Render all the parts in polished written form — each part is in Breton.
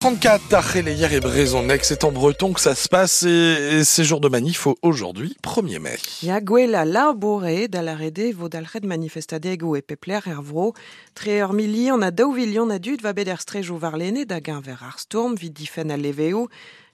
34 ar c'heleier e brezhoneg, c'est en breton que ça se passe et c'est jour de manif aujourd'hui, 1er mai. Ya gwell a labour eo da lâret eo vo dalc'het manifestadegoù e pep lec'h er vro. Tre ur milion ha daou vilion a dud va bet er strejoù warlene da geñver ar stourm 'vit difenn al leveoù.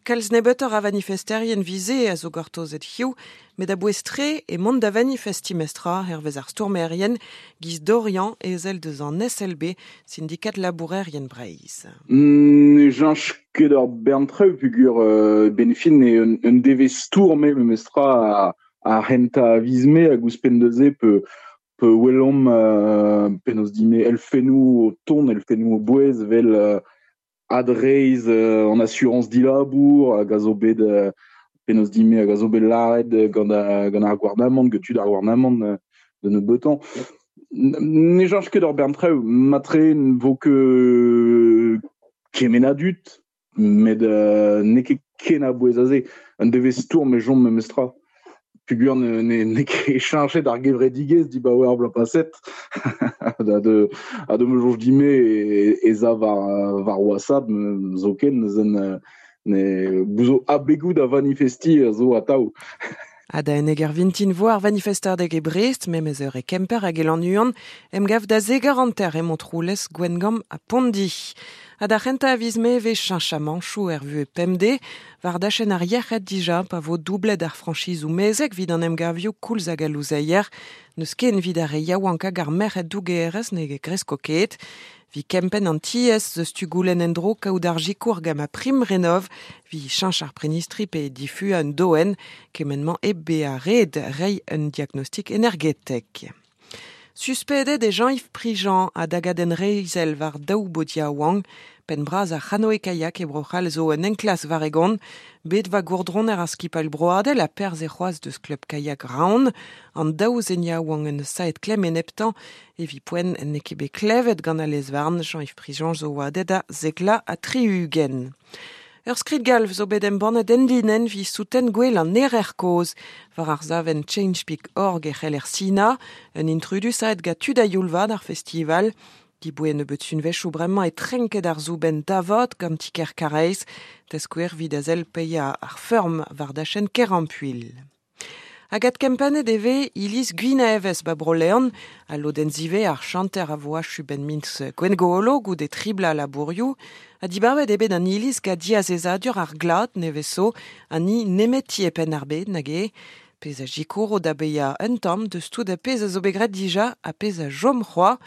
Kalz nebeutoc'h a vanifesterien vize a zo gortozet hiziv, met a-bouez-tre e mont da vanifestiñ mestra hervez ar stourmerien giz Dorian ezel deus an SLB, sindikat labourerien Breizh. Ne cheñch ket ur bern traoù peogwir 'benn fin eo un devezh stourm eo memestra ar c'hentañ a viz Mae hag ouzhpenn da se pe welomp penaos din-me elfennoù o tont, elfennoù o bouez evel adreizh an asurañs dilabour hag a zo bet penaos din-me hag a zo bet lâret gant gant ar gouarnamant, gant tud ar gouarnamant da nebeutañ. Ne cheñch ket ur bern traoù, matre ne vo ket kement a dud met n'eo ket ken a-bouez a se. Un devezh stourm e chom memestra. Peogwir n'eo ket cheñchet ar gevredigezh dibaoe ar bloaz paset ha da ma soñj din-me ez a war WhatsApp zoken neuze ne zo abegoù da vanifestiñ a zo atav. Ha da enneg ar vintin vo ar vanifestadeg e Brest, memes eur e Kemper hag e Lannuon, emgav da zek eur hanter e Montroulez, Gwengamp ha Pondi. Ha d'ar c'hentañ a viz Mae e vez cheñchamanchoù er vuhez pemdez, war dachenn ar yec'hed dija pa vo doublet ar frañchizoù mezeg evit an emgavioù koulz hag al louzeier. N'eus ken evit ar re yaouank hag ar merc'hed dougerez ne gresko ket. 'Vit kempenn an tiez eus tu goulenn en-dro kaout ar sikour gant ma prim renov 'vit cheñch ar prenistri pe difuañ un doenn, kement-mañ hep bezañ ret reiñ un diagnostik energetek. Suspedet eo Jean-Yves Prigent a dagadenn reizhel war daou baotr yaouank. Penn bras ar c'hanoe-kayak e Bro-C'hall zo un enklask war e gont. Bet 'oa gourdroner ar skipailh broadel ha perzh eo c'hoazh deus klub kayak Raon. An daou zen yaouank en deus savet klemm eneptañ. Evit poent n'eo ket bet klevet gant al lez-varn. Jean-Yves Prigent zo oadet a zek ha 60. Ur skrid-galv zo bet embannet enlinenn evit souten gwell an erer kozh. War ar savenn change.org e c'heller sinañ. Un intrudu savet gant tud a-youl vat ar festival. Diboe nebeut sunvezhioù bremañ e trenket ar soubenn davat gant ti-kêr Karaez. Da skouer evit a sell paeañ ar feurm war dachenn Kerampuilh. Hag adkempennet e vez iliz Gwinevez ba Bro-Leon. Al lodenn zivez ar chanter a vo achu 'benn miz Gwengolo goude tri bloaz labourioù. Ha dibabet eo bet an iliz gant diazezadur ar glad nevez zo, an hini nemeti e Penn-ar-Bed nag eo. Pezh a sikouro da baeañ un tamm deus tout ar pezh a zo bet graet dija ha pezh a chom c'hoazh.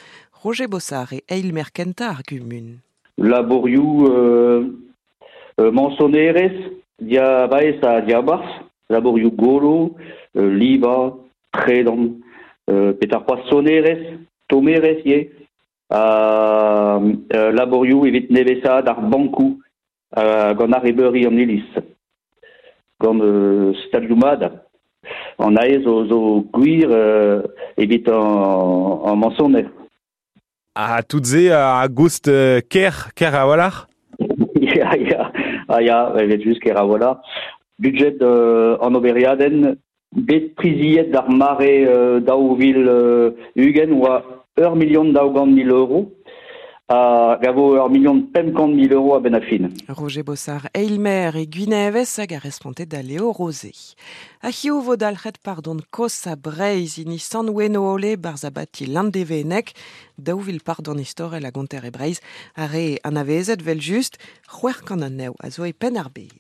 Roger Bossard eo eilmaer kentañ ar gumun. Labourioù mañsonerezh, diavaez ha diabarzh, labourioù golo, livañ, tredan, petra c'hoazh sonerezh, tommerezh ivez, ha labourioù evit nevesaat ar bankoù gant arrebeuri an iliz, gant stalioù mat. An aez zo gwir evit an mañsoner. Ha tout se a goust ker, ker a-walc'h? Ya, ya, ah ya, evel-just ker a-walc'h. Budget an oberiadenn bet priziet d'ar mare 2020 oa ur milion 200 000 euro hag a vo ur milion 500 000 euro a-benn ar fin. Roger Bossard, eilmaer e Gwinevez hag a responte da Leo Rosé. Ha hiziv vo dalc'het pardon kosañ Breizh hini Sant-Wenoole barzh abati Landevenneg. 2000 pardon istorel a gonter e Breizh, ar re anavezet 'vel just, 600 anezho a zo e Penn-ar-Bed.